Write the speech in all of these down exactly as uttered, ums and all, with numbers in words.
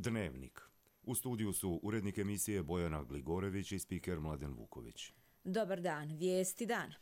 Dnevnik. U studiju su urednik emisije Bojana Gligorević i spiker Mladen Vuković. Dobar dan, vijesti dana.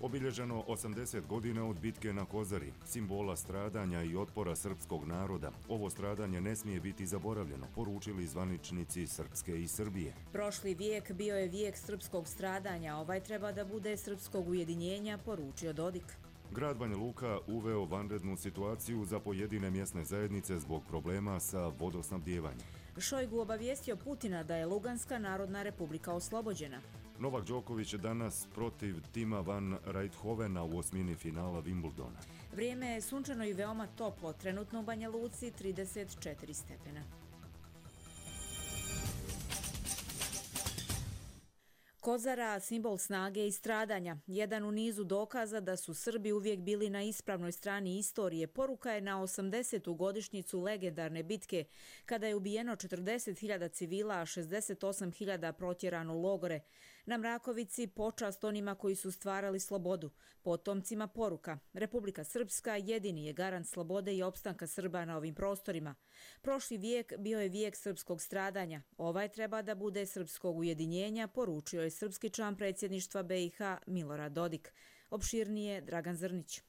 Obilježeno osamdeset godina od bitke na Kozari, simbola stradanja i otpora srpskog naroda. Ovo stradanje ne smije biti zaboravljeno, poručili zvaničnici Srpske i Srbije. Prošli vijek bio je vijek srpskog stradanja, ovaj treba da bude srpskog ujedinjenja, poručio Dodik. Grad Banja Luka uveo vanrednu situaciju za pojedine mjesne zajednice zbog problema sa vodosnabdjevanjem. Šojgu obavijestio Putina da je Luganska narodna republika oslobođena. Novak Đoković danas protiv Tima van Rijthovena u osmini finala Wimbledona. Vrijeme je sunčano i veoma toplo, trenutno u Banja Luci trideset četiri stepena. Kozara, simbol snage i stradanja. Jedan u nizu dokaza da su Srbi uvijek bili na ispravnoj strani istorije. Poruka je na osamdesetu godišnjicu legendarne bitke, kada je ubijeno četrdeset hiljada civila, a šezdeset osam hiljada protjerano u logore. Na Mrakovici počast onima koji su stvarali slobodu. Potomcima poruka. Republika Srpska jedini je garant slobode i opstanka Srba na ovim prostorima. Prošli vijek bio je vijek srpskog stradanja. Ovaj treba da bude srpskog ujedinjenja, poručio je srpski član predsjedništva B i H Milorad Dodik. Opširnije Dragan Zrnić.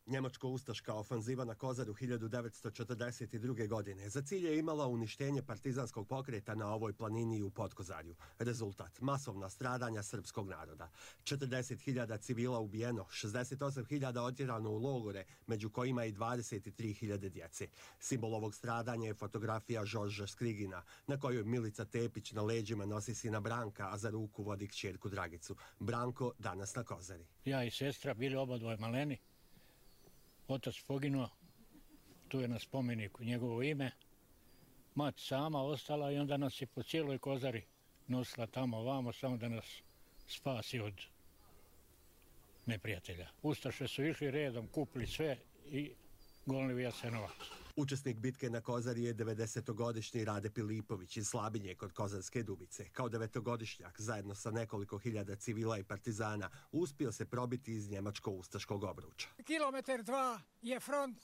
Njemačko-ustaška ofanziva na Kozaru hiljadu devetsto četrdeset druge. godine za cilj je imala uništenje partizanskog pokreta na ovoj planini i u Podkozarju. Rezultat: masovna stradanja srpskog naroda. četrdeset hiljada civila ubijeno, šezdeset osam hiljada otjerano u logore, među kojima i dvadeset tri hiljade djece. Simbol ovog stradanja je fotografija Žorža Skrigina, na kojoj Milica Tepić na leđima nosi sina Branka, a za ruku vodi kćerku Dragicu. Branko danas na Kozari. Ja i sestra bili obadvoje maleni. Otac poginuo, tu je na spomeniku njegovo ime. Mat sama ostala i onda nas je po cijeloj Kozari nosila tamo ovamo, samo da nas spasi od neprijatelja. Ustaše su išli redom, kupili sve i gonili u Jasenovac. Učesnik bitke na Kozari je devedesetogodišnji Rade Pilipović iz Slabinje kod Kozarske Dubice. Kao devetogodišnjak, zajedno sa nekoliko hiljada civila i partizana, uspio se probiti iz njemačko-ustaškog obruča. Kilometar dva je front,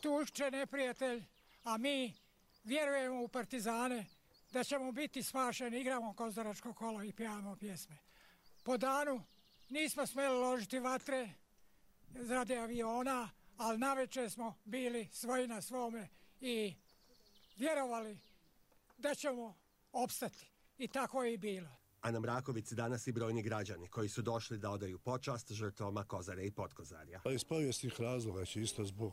tušće neprijatelj, a mi vjerujemo u partizane da ćemo biti spašeni, igramo kozaračko kolo i pjevamo pjesme. Po danu nismo smjeli ložiti vatre radi aviona, ali navečer smo bili svoji na svome i vjerovali da ćemo opstati. I tako je i bilo. A na Mrakovici danas i brojni građani koji su došli da odaju počast žrtvama Kozare i Podkozarja. Iz povijesnih razloga, čisto zbog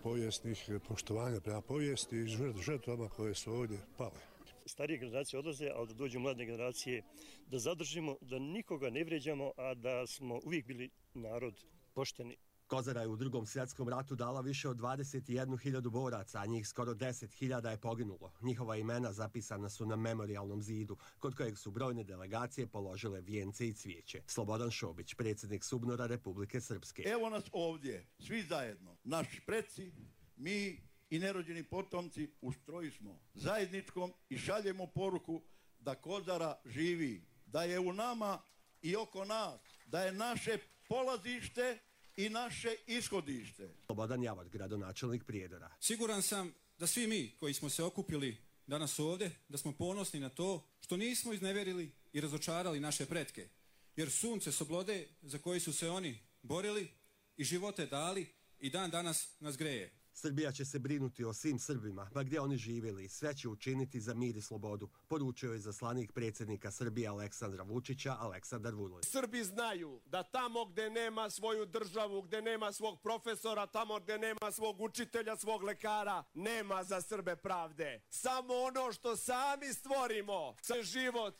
povijesnih poštovanja prema povijesti i žrtvama koje su ovdje pale. Starije generacije odlaze, ali da dođu mlade generacije, da zadržimo, da nikoga ne vrijeđamo, a da smo uvijek bili narod pošteni. Kozara je u Drugom svjetskom ratu dala više od dvadeset jednu hiljadu boraca, a njih skoro deset hiljada je poginulo. Njihova imena zapisana su na memorijalnom zidu, kod kojeg su brojne delegacije položile vijence i cvijeće. Slobodan Šobić, predsjednik SUBNOR-a Republike Srpske. Evo nas ovdje, svi zajedno, naši preci, mi i nerođeni potomci u stroju smo zajedničkom i šaljemo poruku da Kozara živi, da je u nama i oko nas, da je naše polazište i naše ishodište. Slobodan Javor, gradonačelnik Prijedora. Siguran sam da svi mi koji smo se okupili danas ovdje, da smo ponosni na to što nismo iznevjerili i razočarali naše pretke. Jer sunce slobode za koje su se oni borili i živote dali i dan danas nas greje. Srbija će se brinuti o svim Srbima, ma gdje oni živjeli, sve će učiniti za mir i slobodu, poručio je zaslanik predsjednika Srbije Aleksandra Vučića, Aleksandar Vulin. Srbi znaju da tamo gdje nema svoju državu, gdje nema svog profesora, tamo gdje nema svog učitelja, svog lekara, nema za Srbe pravde. Samo ono što sami stvorimo, za život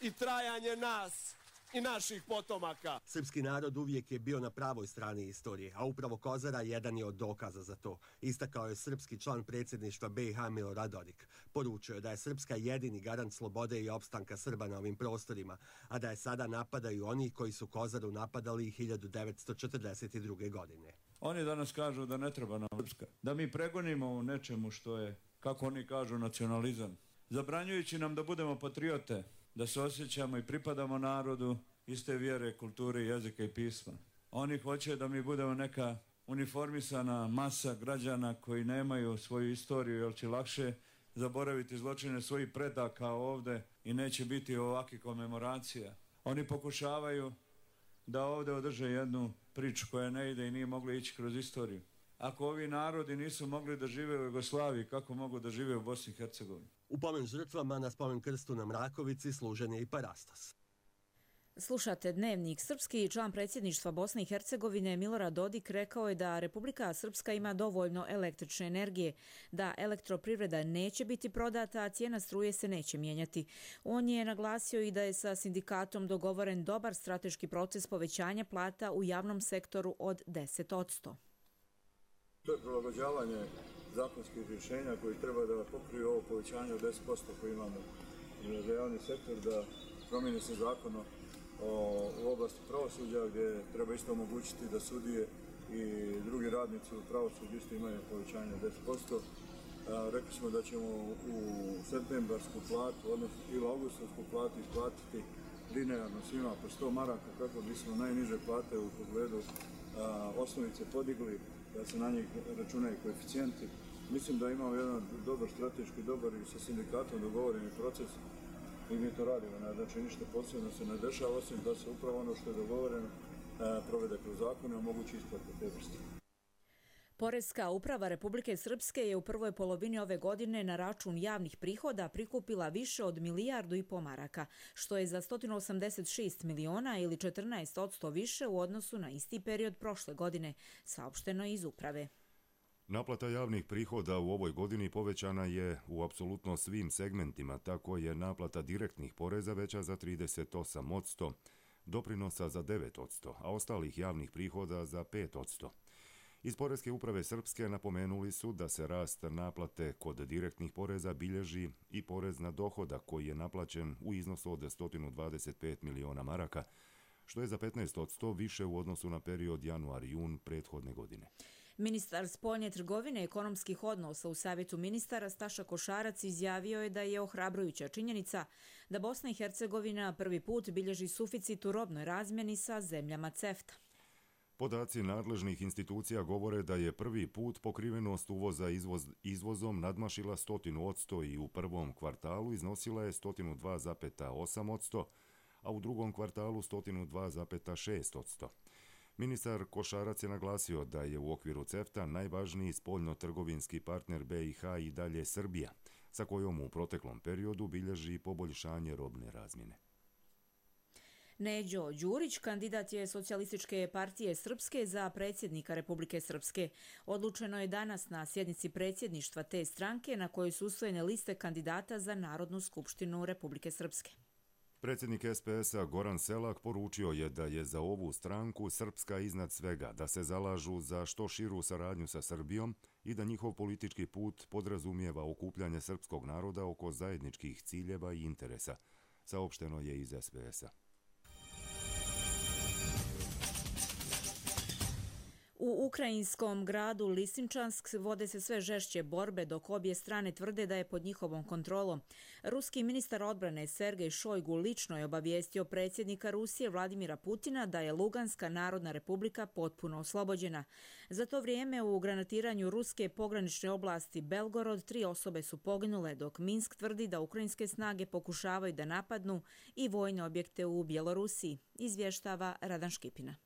i trajanje nas i naših potomaka. Srpski narod uvijek je bio na pravoj strani istorije, a upravo Kozara jedan je od dokaza za to. Istakao je srpski član predsjedništva B i H Milorad Dodik. Poručio je da je Srpska jedini garant slobode i opstanka Srba na ovim prostorima, a da je sada napadaju oni koji su Kozaru napadali i hiljadu devetsto četrdeset druge. godine. Oni danas kažu da ne treba nam Srpska, da mi pregonimo u nečemu što je, kako oni kažu, nacionalizam. Zabranjujući nam da budemo patriote, da se osjećamo i pripadamo narodu iste vjere, kulture, jezika i pisma. Oni hoće da mi budemo neka uniformisana masa građana koji nemaju svoju istoriju, jer će lakše zaboraviti zločine svojih predaka ovdje i neće biti ovakvih komemoracija. Oni pokušavaju da ovdje održe jednu priču koja ne ide i nije mogla ići kroz istoriju. Ako ovi narodi nisu mogli da žive u Jugoslaviji, kako mogu da žive u Bosni i Hercegovini? U pomen žrtvama na spomen krstu na Mrakovici služen je i parastos. Slušate Dnevnik. Srpski član predsjedništva Bosne i Hercegovine Milorad Dodik rekao je da Republika Srpska ima dovoljno električne energije, da elektroprivreda neće biti prodata, a cijena struje se neće mijenjati. On je naglasio i da je sa sindikatom dogovoren dobar strateški proces povećanja plata u javnom sektoru od deset posto. To je prilagođavanje zakonskih rješenja koji treba da pokriju ovo povećanje od deset posto koje imamo za javni sektor, da promijeni se zakon u oblasti pravosuđa gdje treba isto omogućiti da sudije i drugi radnici u pravosuđu isto imaju povećanje od deset posto. Rekli smo da ćemo u septembarsku platu, odnosno ili augustovsku platu isplatiti linearno svima po sto maraka kako bismo najniže plate u pogledu a, osnovice podigli, da se na njih računaju koeficijenti. Mislim da imamo jedan dobar strateški, dobar i sa sindikatom dogovoreni proces i mi to radimo. Znači ništa posebno se ne dešava, osim da se upravo ono što je dogovoreno a, provede kroz zakone, omogući isplate te vrste. Poreska uprava Republike Srpske je u prvoj polovini ove godine na račun javnih prihoda prikupila više od milijardu i po maraka, što je za sto osamdeset šest miliona ili četrnaest posto više u odnosu na isti period prošle godine, saopšteno iz uprave. Naplata javnih prihoda u ovoj godini povećana je u apsolutno svim segmentima, tako je naplata direktnih poreza veća za trideset osam posto, doprinosa za devet posto, a ostalih javnih prihoda za pet posto. Iz Poreske uprave Srpske napomenuli su da se rast naplate kod direktnih poreza bilježi i porez na dohodak koji je naplaćen u iznosu od sto dvadeset pet miliona maraka, što je za petnaest posto više u odnosu na period januar-jun prethodne godine. Ministar spoljne trgovine i ekonomskih odnosa u Savjetu ministara Staša Košarac izjavio je da je ohrabrujuća činjenica da Bosna i Hercegovina prvi put bilježi suficit u robnoj razmjeni sa zemljama CEFTA. Podaci nadležnih institucija govore da je prvi put pokrivenost uvoza izvoz, izvozom nadmašila sto posto i u prvom kvartalu iznosila je sto dva zarez osam posto, a u drugom kvartalu sto dva zarez šest posto. Ministar Košarac je naglasio da je u okviru CEFTA najvažniji spoljno-trgovinski partner B i H i dalje Srbija, sa kojom u proteklom periodu bilježi poboljšanje robne razmjene. Neđo Đurić, kandidat je Socijalističke partije Srpske za predsjednika Republike Srpske. Odlučeno je danas na sjednici predsjedništva te stranke na kojoj su usvojene liste kandidata za Narodnu skupštinu Republike Srpske. Predsjednik S P S-a Goran Selak poručio je da je za ovu stranku Srpska iznad svega, da se zalažu za što širu saradnju sa Srbijom i da njihov politički put podrazumijeva okupljanje srpskog naroda oko zajedničkih ciljeva i interesa, saopšteno je iz S P S-a. U ukrajinskom gradu Lisinčansk vode se sve žešće borbe dok obje strane tvrde da je pod njihovom kontrolom. Ruski ministar odbrane Sergej Šojgu lično je obavijestio predsjednika Rusije Vladimira Putina da je Luganska narodna republika potpuno oslobođena. Za to vrijeme u granatiranju ruske pogranične oblasti Belgorod tri osobe su poginule, dok Minsk tvrdi da ukrajinske snage pokušavaju da napadnu i vojne objekte u Bjelorusiji, izvještava Radan Škipina.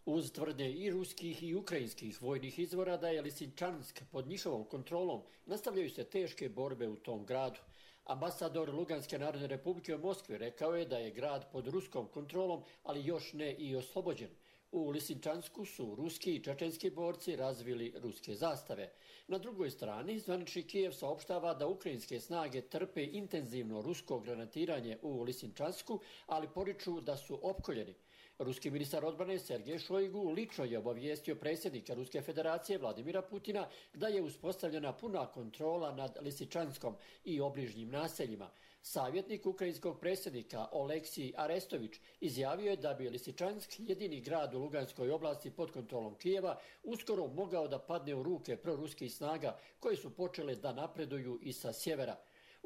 Uz tvrde i ruskih i ukrajinskih vojnih izvora da je Lisinčansk pod njihovom kontrolom, nastavljaju se teške borbe u tom gradu. Ambasador Luganske narodne republike u Moskvi rekao je da je grad pod ruskom kontrolom, ali još ne i oslobođen. U Lisinčansku su ruski i čečenski borci razvili ruske zastave. Na drugoj strani, zvanični Kijev saopštava da ukrajinske snage trpe intenzivno rusko granatiranje u Lisinčansku, ali poriču da su opkoljeni. Ruski ministar odbrane Sergej Šojgu lično je obavijestio predsjednika Ruske federacije Vladimira Putina da je uspostavljena puna kontrola nad Lisinčanskom i obližnjim naseljima. Savjetnik ukrajinskog predsjednika Oleksij Arestović izjavio je da bi Lisinčansk, jedini grad u Luganskoj oblasti pod kontrolom Kijeva, uskoro mogao da padne u ruke proruskih snaga koje su počele da napreduju i sa sjevera.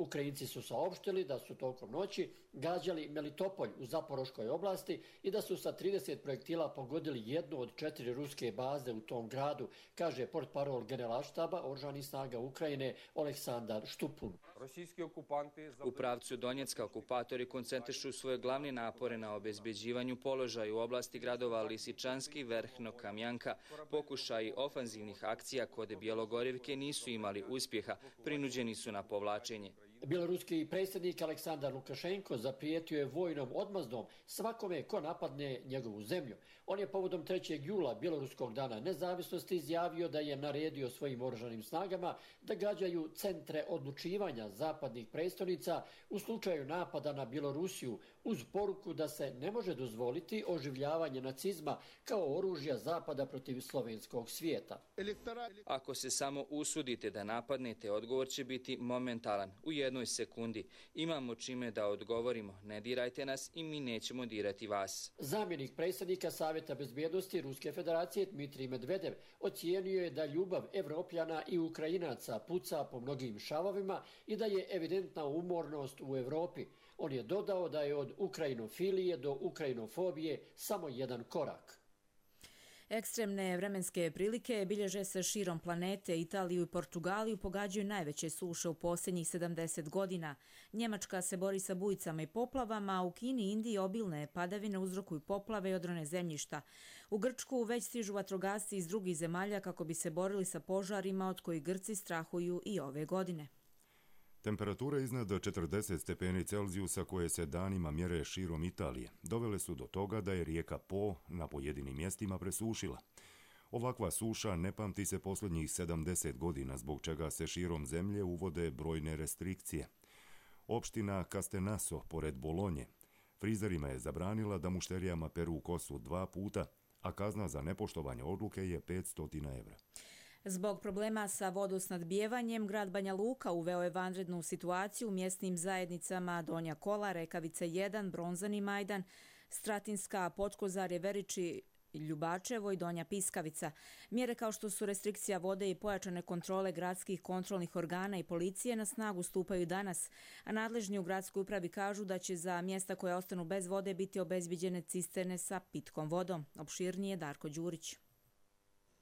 Ukrajinci su saopštili da su tokom noći gađali Melitopolj u Zaporoškoj oblasti i da su sa trideset projektila pogodili jednu od četiri ruske baze u tom gradu, kaže portparol generalštaba oružanih snaga Ukrajine Oleksandar Štupun. U pravcu Donjecka okupatori koncentrišu svoje glavne napore na obezbeđivanju položaja u oblasti gradova Lisičanski, Verhno, Kamjanka. Pokušaji ofanzivnih akcija kod Bjelogorivke nisu imali uspjeha, prinuđeni su na povlačenje. Bjeloruski predsjednik Aleksandar Lukašenko zaprijetio je vojnom odmazdom svakome ko napadne njegovu zemlju. On je povodom trećeg jula Bjeloruskog dana nezavisnosti izjavio da je naredio svojim oružanim snagama da gađaju centre odlučivanja zapadnih prestolnica u slučaju napada na Bjelorusiju uz poruku da se ne može dozvoliti oživljavanje nacizma kao oružja zapada protiv slovenskog svijeta. Ako se samo usudite da napadnete, odgovor će biti momentalan, u jednoj sekundi. Imamo čime da odgovorimo, ne dirajte nas i mi nećemo dirati vas. Zamjenik predsjednika Savjeta bezbjednosti Ruske federacije Dmitrij Medvedev ocijenio je da ljubav Evropljana i Ukrajinaca puca po mnogim šavovima i da je evidentna umornost u Evropi. On je dodao da je od ukrajinofilije do ukrajinofobije samo jedan korak. Ekstremne vremenske prilike bilježe se širom planete. Italiju i Portugaliju pogađaju najveće suše u posljednjih sedamdeset godina. Njemačka se bori sa bujicama i poplavama, a u Kini i Indiji obilne padavine uzrokuju poplave i odrone zemljišta. U Grčku već stižu vatrogasci iz drugih zemalja kako bi se borili sa požarima od kojih Grci strahuju i ove godine. Temperature iznad četrdeset stepeni Celzijusa koje se danima mjere širom Italije dovele su do toga da je rijeka Po na pojedinim mjestima presušila. Ovakva suša ne pamti se posljednjih sedamdeset godina, zbog čega se širom zemlje uvode brojne restrikcije. Opština Castenaso, pored Bolonje, frizerima je zabranila da mušterijama peru kosu dva puta, a kazna za nepoštovanje odluke je petsto evra. Zbog problema sa vodosnadbijevanjem, grad Banja Luka uveo je vanrednu situaciju u mjesnim zajednicama Donja Kola, Rekavica jedan, Bronzani Majdan, Stratinska, Potkozarje, Veriči, Ljubačevo i Donja Piskavica. Mjere kao što su restrikcija vode i pojačane kontrole gradskih kontrolnih organa i policije na snagu stupaju danas, a nadležni u gradskoj upravi kažu da će za mjesta koje ostanu bez vode biti obezbiđene cisterne sa pitkom vodom. Opširnije Darko Đurić.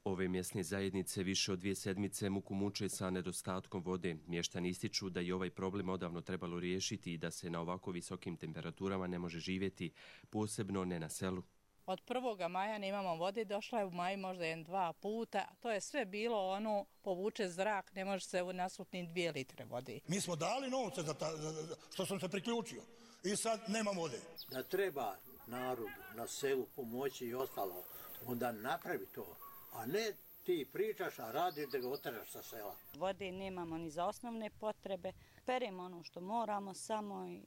Ove mjesne zajednice više od dvije sedmice muku muče sa nedostatkom vode. Mještani ističu da je ovaj problem odavno trebalo riješiti i da se na ovako visokim temperaturama ne može živjeti, posebno ne na selu. Od prvoga maja nemamo vode, došla je u maju možda jedan, dva puta. To je sve bilo ono, povuče zrak, ne može se nasupni dvije litre vode. Mi smo dali novce za, ta, za što sam se priključio i sad nema vode. Da treba narodu na selu pomoći i ostalo, onda napravi to. A ne ti pričaš, a radiš da ga oteraš sa sela. Vode nemamo ni za osnovne potrebe. Peremo ono što moramo samo i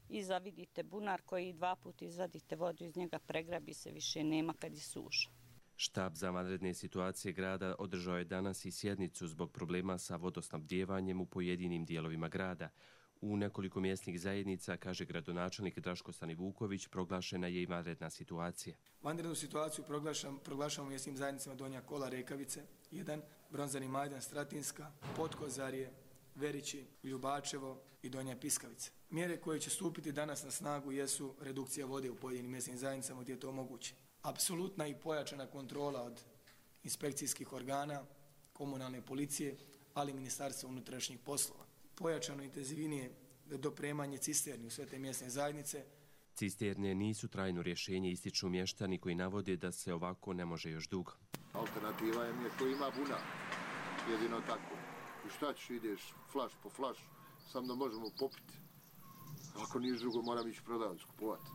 iza vidite bunar koji dva puta izvadite vodu iz njega, pregrabi se, više nema kad je suša. Štab za vanredne situacije grada održao je danas i sjednicu zbog problema sa vodosnabdijevanjem u pojedinim dijelovima grada. U nekoliko mjesnih zajednica, kaže gradonačelnik Draško Stanivuković, proglašena je i vanredna situacija. Vanrednu situaciju proglašam, proglašamo mjesnim zajednicama Donja Kola, Rekavice jedan, Bronzani Majdan, Stratinska, Potkozarje, Verići, Ljubačevo i Donja Piskavica. Mjere koje će stupiti danas na snagu jesu redukcija vode u pojedinim mjesnim zajednicama gdje je to moguće. Apsolutna i pojačana kontrola od inspekcijskih organa, komunalne policije, ali i Ministarstva unutrašnjih poslova. Pojačano intenzivinije dopremanje cisterni u sve te mjesne zajednice. Cisterne nisu trajno rješenje, ističu mještani koji navode da se ovako ne može još dugo. Alternativa je mi ko ima bunar, jedino tako. I šta ćeš, ideš flaš po flaš, sam da možemo popiti. Ako nije drugo, moram ići prodavac kupovati.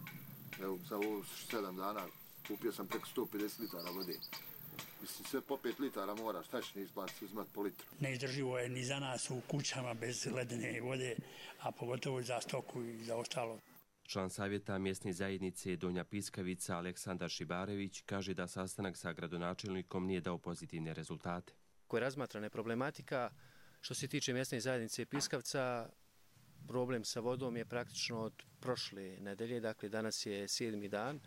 Evo, za ovo sedam dana kupio sam preko sto pedeset litara vode. Mislim, sve po pet litara mora, šta će ne izbaciti, uzmat po litru. Neizdrživo je ni za nas u kućama bez ledene vode, a pogotovo za stoku i za ostalo. Član savjeta mjesne zajednice Donja Piskavica Aleksandar Šibarević kaže da sastanak sa gradonačelnikom nije dao pozitivne rezultate. Koja je razmatrana problematika, što se tiče mjesne zajednice Piskavca, problem sa vodom je praktično od prošle nedelje, dakle danas je sedmi dan.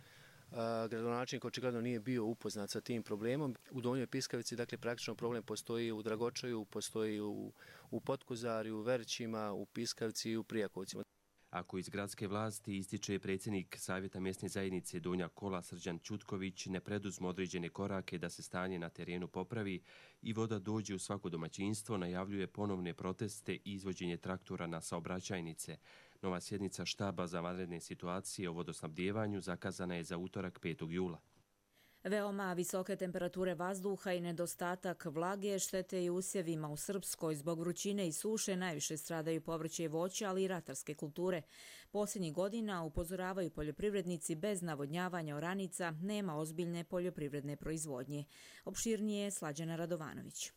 Gradonačelnik očigledno nije bio upoznat sa tim problemom. U Donjoj Piskavici, dakle, praktično problem postoji u Dragočaju, postoji u, u Potkozarju, u Verićima, u Piskavci i u Prijakovcima. Ako iz gradske vlasti, ističe predsjednik Savjeta mjesne zajednice Donja Kola Srđan Ćutković, ne preduzmu određene korake da se stanje na terenu popravi i voda dođe u svako domaćinstvo, najavljuje ponovne proteste i izvođenje traktora na saobraćajnice. Nova sjednica štaba za vanredne situacije o vodosnabdijevanju zakazana je za utorak petog jula. Veoma visoke temperature vazduha i nedostatak vlage štete i usjevima u Srpskoj. Zbog vrućine i suše najviše stradaju povrće i voće, ali i ratarske kulture. Posljednjih godina upozoravaju poljoprivrednici, bez navodnjavanja oranica nema ozbiljne poljoprivredne proizvodnje. Opširnije je Slađana Radovanović.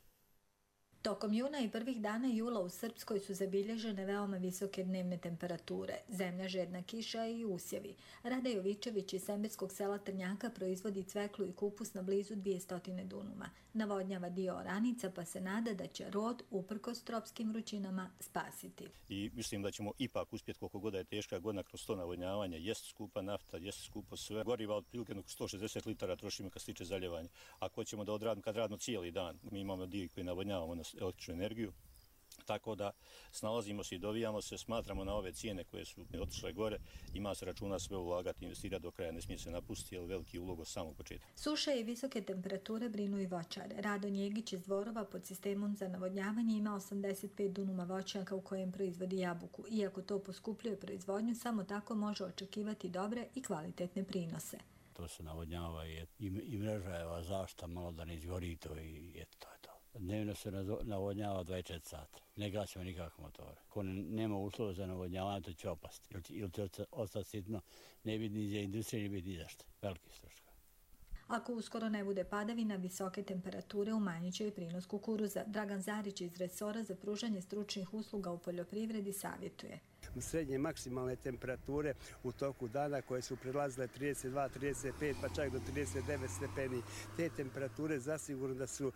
Tokom juna i prvih dana jula u Srpskoj su zabilježene veoma visoke dnevne temperature, zemlja žedna kiša i usjevi. Rada Jovičević iz Semberskog sela Trnjaka proizvodi cveklu i kupus na blizu dvjesto dunuma. Navodnjava dio oranica pa se nada da će rod, uprkos tropskim vrućinama, spasiti. I mislim da ćemo ipak uspjeti, koliko god je teška godina, kroz to navodnjavanje. Jest skupa nafta, jest skupo sve. Goriva otprilike sto šezdeset litara trošimo kad se tiče zaljevanja. Ako ćemo da odradimo, kad radimo cijeli dan, mi imamo dio koji navodnjavamo na električnu energiju, tako da snalazimo se i dovijamo se, smatramo na ove cijene koje su otišle gore, ima se računa sve ulagati, investirati do kraja, ne smije se napustiti, jer veliki ulog od samog početka. Suše i visoke temperature brinu i voćare. Rado Njegić iz Dvorova pod sistemom za navodnjavanje ima osamdeset pet dunuma voćnjaka u kojem proizvodi jabuku. Iako to poskupljuje proizvodnju, samo tako može očekivati dobre i kvalitetne prinose. To se navodnjava i, i mreža zašta malo da ne izgori to i eto to je to. Dnevno se navodnjava dvadeset četiri sata. Ne gasimo nikakve motore. Ko nema uslova za navodnjavanje, to će opasti. Ili će ostati sitno, ne biti ni za industriju, ne biti ni za što. Veliki stroškovi. Ako uskoro ne bude padavina, visoke temperature umanjit će i prinos kukuruza. Dragan Zarić iz resora za pružanje stručnih usluga u poljoprivredi savjetuje. Srednje maksimalne temperature u toku dana koje su prelazile trideset dva, trideset pet pa čak do trideset devet stepeni. Te temperature zasigurno da su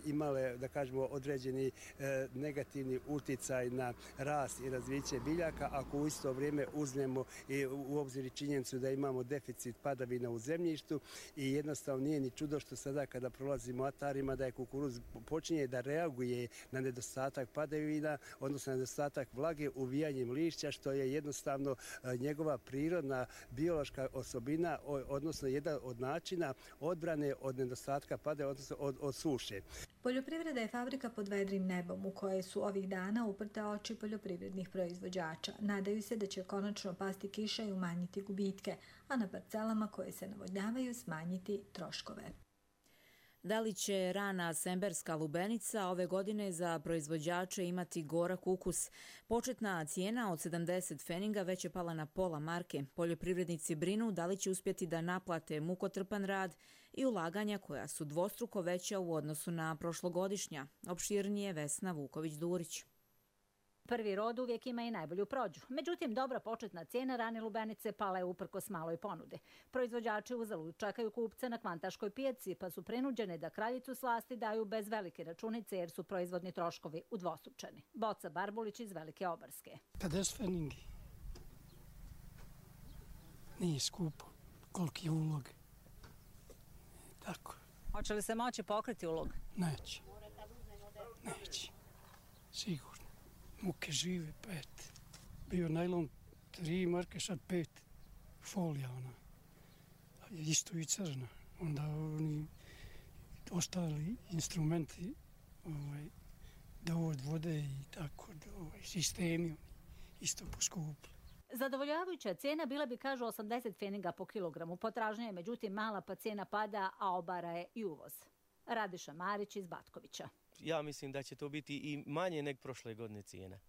imale, da kažemo, određeni e, negativni uticaj na rast i razviće biljaka, ako u isto vrijeme uzmemo i u obzir činjenicu da imamo deficit padavina u zemljištu i jednostavno nije ni čudo što sada kada prolazimo atarima da je kukuruz počinje da reaguje na nedostatak padavina, odnosno na nedostatak vlage uvijanjem lišća, što je jednostavno njegova prirodna biološka osobina, odnosno jedan od načina odbrane od nedostatka padavina, odnosno od, od suše. Poljoprivreda je fabrika pod vedrim nebom u kojoj su ovih dana uprte oči poljoprivrednih proizvođača. Nadaju se da će konačno pasti kiša i umanjiti gubitke, a na parcelama koje se navodnjavaju smanjiti troškove. Da li će rana semberska lubenica ove godine za proizvođače imati gorak ukus? Početna cijena od sedamdeset feninga već je pala na pola marke. Poljoprivrednici brinu da li će uspjeti da naplate mukotrpan rad i ulaganja koja su dvostruko veća u odnosu na prošlogodišnja. Opširnije Vesna Vuković-Durić. Prvi rod uvijek ima i najbolju prođu. Međutim, dobra početna cijena rane lubenice pala je uprkos maloj ponude. Proizvođači uzalud čekaju kupce na kvantaškoj pijaci, pa su prinuđeni da kraljicu slasti daju bez velike računice jer su proizvodni troškovi udvostručeni. Boca Barbulić iz Velike Obarske. pedeset feningi. Nije skupo. Koliki je ulog. Tako. Hoće li se moći pokriti ulog? Neće. Neće. Sigurno. Muke žive, pet. Bio najlon tri marke, sad pet. Folija ona. Isto i crna. Onda oni ostali instrumenti, ovaj, dovod vode i tako, ovaj, sistemi isto poskupili. Zadovoljavajuća cijena bila bi, kažu, osamdeset feninga po kilogramu. Potražnja je, međutim, mala pa cijena pada, a obara je i uvoz. Radiša Marić iz Batkovića. Ja mislim da će to biti i manje nek prošle godine cijena.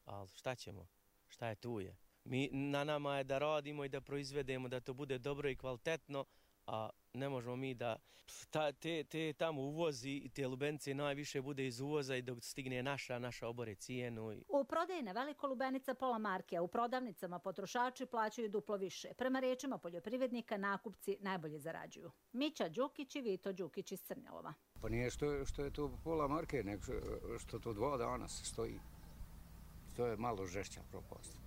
Ali šta ćemo? Šta je tu je? Mi, na nama je da radimo i da proizvedemo, da to bude dobro i kvalitetno, a ne možemo mi da ta, te, te tamo uvozi i te lubenice najviše bude iz uvoza i dok stigne naša, naša obore cijenu. U prodaji na veliko lubenica pola marke, a u prodavnicama potrošači plaćaju duplo više. Prema riječima poljoprivrednika, nakupci najbolje zarađuju. Mića Đukić i Vito Đukić iz Crnjelova. Pa nije što, što je to pola marke, nego što to dva dana se stoji. To je malo žešća propast.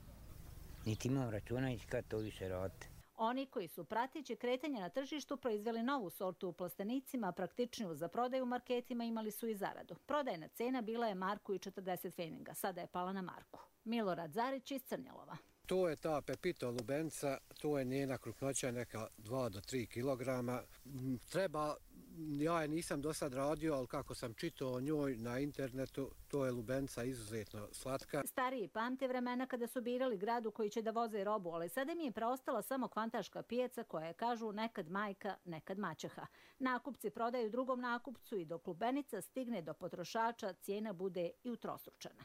Niti imam računajući kad to više radite. Oni koji su prateći kretanja na tržištu proizveli novu sortu u plastenicima, praktičniju za prodaju u marketima, imali su i zaradu. Prodajna cena bila je marku i četrdeset pfeninga, sada je pala na marku. Milorad Zarić iz Crnjalova. To je ta Pepito lubenica, to je njena krupnoća neka dva do tri kilograma. Treba, ja je nisam do sad radio, ali kako sam čitao o njoj na internetu, to je lubenica izuzetno slatka. Stariji pamte vremena kada su birali grad u koji će da voze robu, ali sada mi je preostala samo kvantaška pijaca koja je, kažu, nekad majka, nekad maćeha. Nakupci prodaju drugom nakupcu i dok lubenica stigne do potrošača, cijena bude i utrostručena.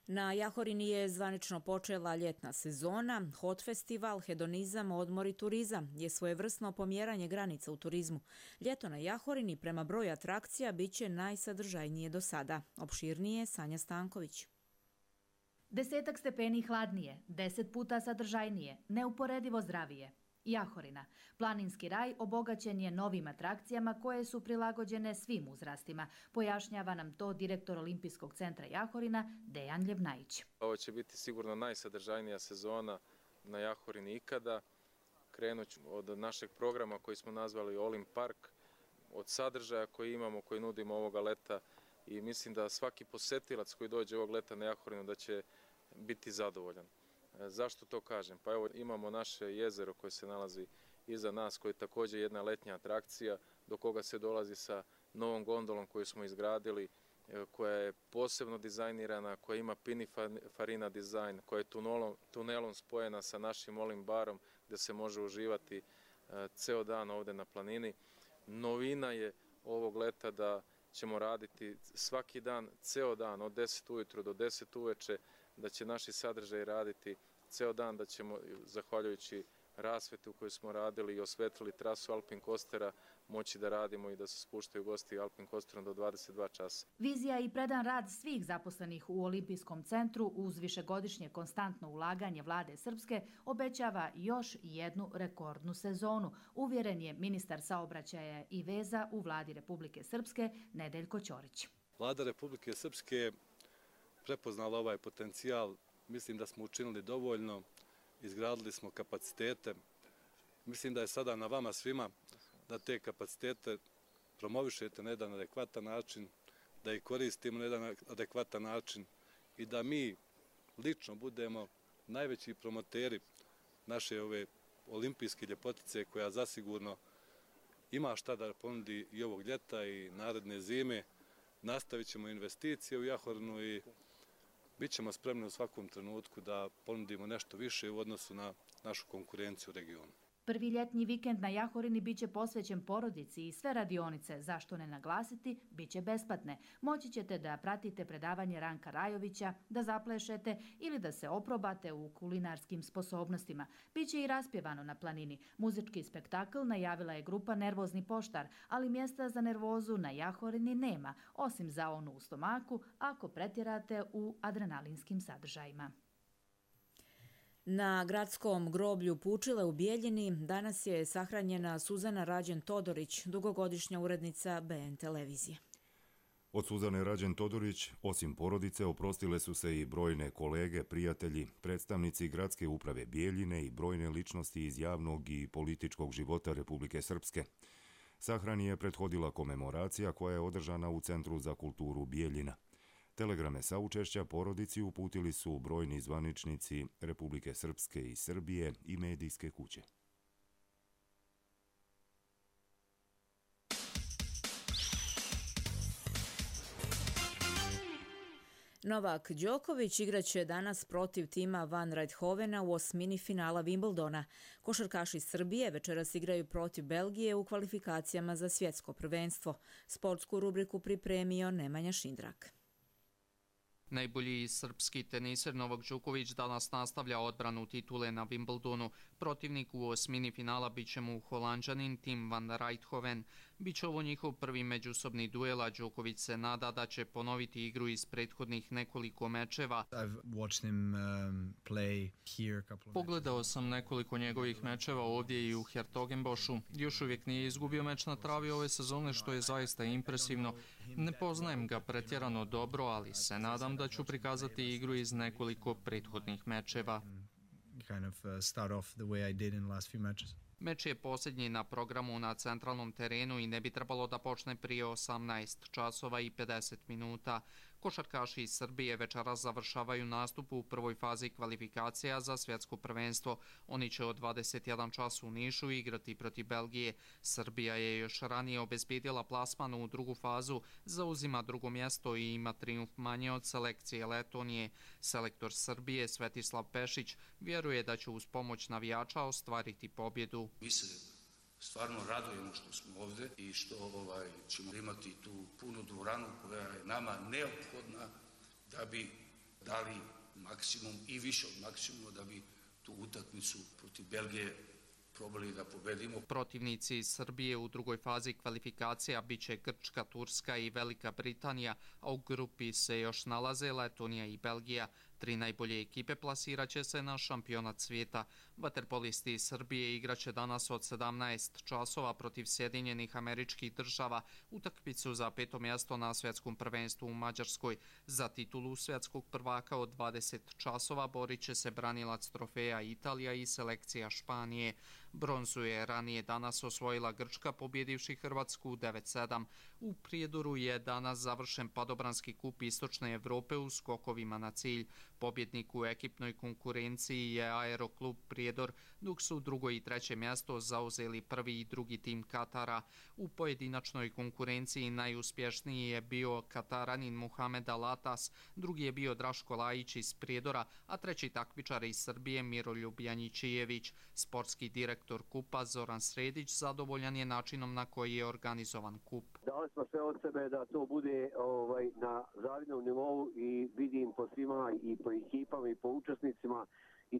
Na Jahorini je zvanično počela ljetna sezona. Hot festival, hedonizam, odmor i turizam je svojevrsno pomjeranje granica u turizmu. Ljeto na Jahorini prema broju atrakcija bit će najsadržajnije do sada. Opširnije Sanja Stanković. Desetak stepeni hladnije, deset puta sadržajnije, neuporedivo zdravije. Jahorina, planinski raj, obogaćen je novim atrakcijama koje su prilagođene svim uzrastima. Pojašnjava nam to direktor Olimpijskog centra Jahorina, Dejan Ljevnajić. Ovo će biti sigurno najsadržajnija sezona na Jahorini ikada. Krenut ću od našeg programa koji smo nazvali Olimp Park, od sadržaja koji imamo, koji nudimo ovoga leta i mislim da svaki posetilac koji dođe ovog leta na Jahorinu da će biti zadovoljan. Zašto to kažem? Pa evo imamo naše jezero koje se nalazi iza nas, koje je također jedna letnja atrakcija do koga se dolazi sa novom gondolom koju smo izgradili, koja je posebno dizajnirana, koja ima Pininfarina dizajn, koja je tunelom, tunelom spojena sa našim Olimp barom gdje se može uživati ceo dan ovdje na planini. Novina je ovog leta da ćemo raditi svaki dan, ceo dan, od deset ujutro do deset uveče, da će naši sadržaji raditi ceo dan, da ćemo, zahvaljujući rasveti u kojoj smo radili i osvetlili trasu Alpin Coastera, moći da radimo i da se spuštaju gosti Alpin Coasterom do dvadeset dva časa. Vizija i predan rad svih zaposlenih u Olimpijskom centru uz višegodišnje konstantno ulaganje vlade Srpske obećava još jednu rekordnu sezonu, uvjeren je ministar saobraćaja i veza u vladi Republike Srpske Nedeljko Ćorić. Vlada Republike Srpske prepoznala ovaj potencijal, mislim da smo učinili dovoljno, izgradili smo kapacitete. Mislim da je sada na vama svima da te kapacitete promovišete na jedan adekvatan način, da ih koristimo na jedan adekvatan način i da mi lično budemo najveći promoteri naše ove olimpijske ljepotice koja zasigurno ima šta da ponudi i ovog ljeta i naredne zime. Nastavit ćemo investicije u Jahorinu i bit ćemo spremni u svakom trenutku da ponudimo nešto više u odnosu na našu konkurenciju u regionu. Prvi ljetnji vikend na Jahorini biće posvećen porodici i sve radionice, zašto ne naglasiti, biće besplatne. Moći ćete da pratite predavanje Ranka Rajovića, da zaplešete ili da se oprobate u kulinarskim sposobnostima. Biće i raspjevano na planini. Muzički spektakl najavila je grupa Nervozni poštar, ali mjesta za nervozu na Jahorini nema, osim za onu u stomaku, ako pretjerate u adrenalinskim sadržajima. Na gradskom groblju Pučile u Bijeljini danas je sahranjena Suzana Rađen Todorić, dugogodišnja urednica B N televizije. Od Suzane Rađen Todorić, osim porodice, oprostile su se i brojne kolege, prijatelji, predstavnici gradske uprave Bijeljine i brojne ličnosti iz javnog i političkog života Republike Srpske. Sahrani je prethodila komemoracija koja je održana u Centru za kulturu Bijeljina. Telegrame saučešća porodici uputili su brojni zvaničnici Republike Srpske i Srbije i medijske kuće. Novak Đoković igraće danas protiv tima Van Rijthovena u osmini finala Wimbledona. Košarkaši Srbije večeras igraju protiv Belgije u kvalifikacijama za svjetsko prvenstvo. Sportsku rubriku pripremio Nemanja Šindrak. Najbolji srpski teniser Novak Đoković danas nastavlja odbranu titule na Wimbledonu. Protivnik u osmini finala bit će mu Holanđanin Tim van Rijthoven. Biće ovo njihov prvi međusobni duel, a Đoković se nada da će ponoviti igru iz prethodnih nekoliko mečeva. Pogledao sam nekoliko njegovih mečeva ovdje i u Hertogenbošu. Još uvijek nije izgubio meč na travi ove sezone, što je zaista impresivno. Ne poznajem ga pretjerano dobro, ali se nadam da ću prikazati igru iz nekoliko prethodnih mečeva. Meč je posljednji na programu na centralnom terenu i ne bi trebalo da počne prije osamnaest časova i pedeset minuta. Košarkaši iz Srbije večeras završavaju nastup u prvoj fazi kvalifikacija za svjetsko prvenstvo. Oni će od dvadeset jedan čas u Nišu igrati protiv Belgije. Srbija je još ranije obezbedila plasman u drugu fazu, zauzima drugo mjesto i ima trijumf manje od selekcije Letonije. Selektor Srbije Svetislav Pešić vjeruje da će uz pomoć navijača ostvariti pobjedu. Mi se stvarno radujemo što smo ovdje i što ovaj, ćemo imati tu punu dvoranu koja je nama neophodna da bi dali maksimum i više od maksimuma da bi tu utakmicu protiv Belgije probali da pobedimo. Protivnici iz Srbije u drugoj fazi kvalifikacija biće Grčka, Turska i Velika Britanija, a u grupi se još nalaze Letonija i Belgija. Tri najbolje ekipe plasiraće se na šampionat svijeta. Vaterpolisti iz Srbije igraće danas od sedamnaest časova protiv Sjedinjenih Američkih Država utakmicu za peto mjesto na svjetskom prvenstvu u Mađarskoj. Za titulu svjetskog prvaka od dvadeset časova borit će se branilac trofeja Italija i selekcija Španije. Bronzu je ranije danas osvojila Grčka pobjedivši Hrvatsku devet sedam. U Prijedoru je danas završen padobranski kup Istočne Evrope u skokovima na cilj. Pobjednik u ekipnoj konkurenciji je Aeroklub Prijedor, dok su drugo i treće mjesto zauzeli prvi i drugi tim Katara. U pojedinačnoj konkurenciji najuspješniji je bio Kataranin Muhamed Alatas, drugi je bio Draško Lajić iz Prijedora, a treći takmičar iz Srbije Miroljub Janjičijević. Sportski direktor kupa Zoran Sredić zadovoljan je načinom na koji je organizovan kup. Dali smo sve od sebe da to bude ovaj, na zavidnom nivou i vidim po svima i po ekipama i po učesnicima i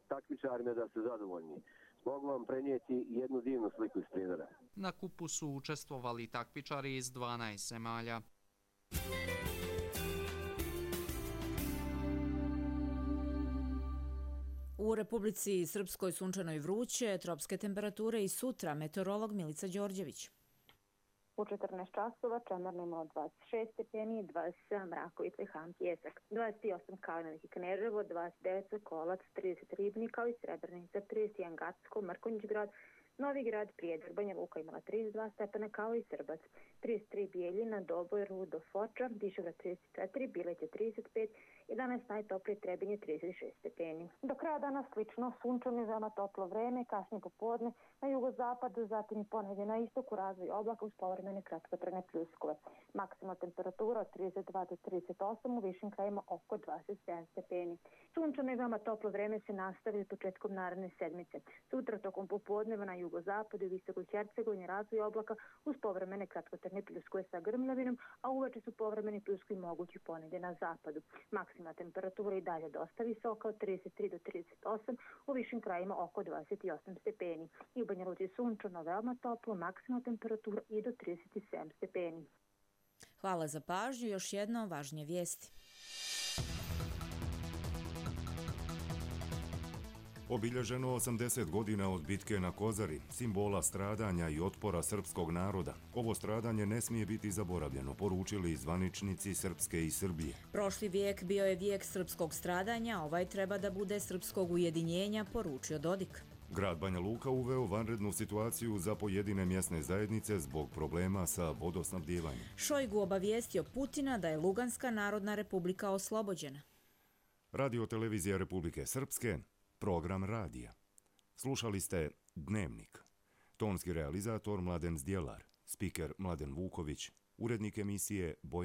takmičarima da su zadovoljni. Mogu vam prenijeti jednu divnu sliku iz Prijedora. Na kupu su učestvovali takmičari iz dvanaest zemalja. U Republici Srpskoj sunčano i vruće, tropske temperature i sutra, meteorolog Milica Đorđević. U četrnaest časova čemerno od dvadeset šest stepeni, dvadeset sedam Rakovica i Han Pjesak, dvadeset osam Kalinović i Kneževo, dvadeset devet Sokolac, trideset Ribnik kao i Srebrenica, trideset jedan Gacko, Mrkonjić grad, Novi grad, Prijedor, Banja Luka imala trideset dva stepena kao i Srbac, trideset tri Bijeljina, Doboj, Rudo, Foča, Dišegrad trideset četiri, Bileće trideset pet, jedanaest najtoplije Trebinje trideset šest stepeni. Do kraja dana slično, sunčano i veoma toplo vreme, kasnije popodne na jugozapadu, zatim i ponedje na istoku razvoj oblaka uz povremene kratkotrajne pljuskove. Maksimalna temperatura od trideset dva do trideset osam, u višim krajima oko dvadeset sedam stepeni. Sunčano i veoma toplo vreme se nastavi početkom naredne sedmice. Sutra tokom popodneva na jugozapadu i visokoj Hercegovini razvoj oblaka uz povremene kratkotrajne pljuskove sa grmljavinom, a uveče su povremeni pljuskovi mogući ponedje na zapadu. Maksimalna temperatura i dalje dosta visoka od trideset tri do trideset osam, u višim krajima oko dvadeset osam stepeni. I u Banja Luci sunčano veoma toplo, maksimalna temperatura i do trideset sedam stepeni. Hvala za pažnju, još jedno važnije vijesti. Obilježeno osamdeset godina od bitke na Kozari, simbola stradanja i otpora srpskog naroda. Ovo stradanje ne smije biti zaboravljeno, poručili zvaničnici Srpske i Srbije. Prošli vijek bio je vijek srpskog stradanja, ovaj treba da bude srpskog ujedinjenja, poručio Dodik. Grad Banja Luka uveo vanrednu situaciju za pojedine mjesne zajednice zbog problema sa vodosnabdijevanjem. Šojgu obavijestio Putina da je Luganska narodna republika oslobođena. Radio televizija Republike Srpske, program radija. Slušali ste Dnevnik. Tonski realizator Mladen Zdjelar, spiker Mladen Vuković, urednik emisije Bojan